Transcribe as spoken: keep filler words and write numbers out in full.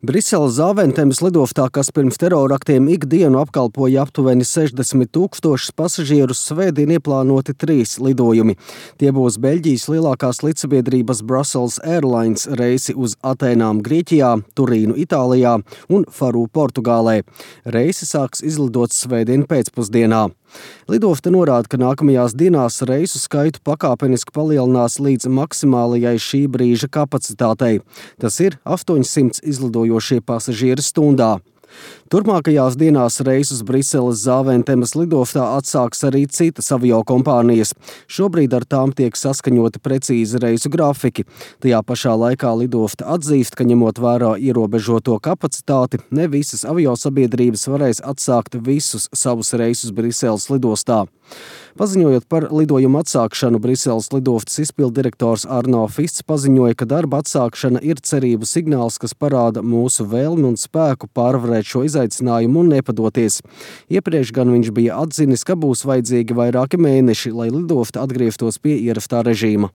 Briseles Zāventemes lidostā, kas pirms teroraktiem ikdienu apkalpoja aptuveni sešdesmit tūkstošus pasažierus, svētdien ieplānoti trīs lidojumi. Tie būs Beļģijas lielākās līdzsabiedrības Brussels Airlines reisi uz Atēnām Grieķijā, Turīnu Itālijā un Faru Portugālē. Reisi sāks izlidot svētdien pēcpusdienā. Lidosta norāda, ka nākamajās dienās reisu skaitu pakāpeniski palielinās līdz maksimālajai šī brīža kapacitātei. Tas ir astoņsimt izlidojošie pasažieri stundā. Turpmākajās dienās reisus Briseles Zāventemes lidostā atsāks arī citas aviokompānijas. Šobrīd ar tām tiek saskaņoti precīzi reisu grafiki. Tajā pašā laikā lidosta atzīst, ka ņemot vērā ierobežoto kapacitāti, ne visas aviosabiedrības varēs atsākt visus savus reisus Briseles lidostā. Paziņojot par lidojumu atsākšanu, Briseles lidostas izpilddirektors Arno Fists paziņoja, ka darba atsākšana ir cerību signāls, kas parāda mūsu vēlmi un spēku pārvarēt šo izaicinājumu un nepadoties. Iepriekš gan viņš bija atzinis, ka būs vajadzīgi vairāki mēneši, lai lidosta atgrieztos pie ierastā režīma.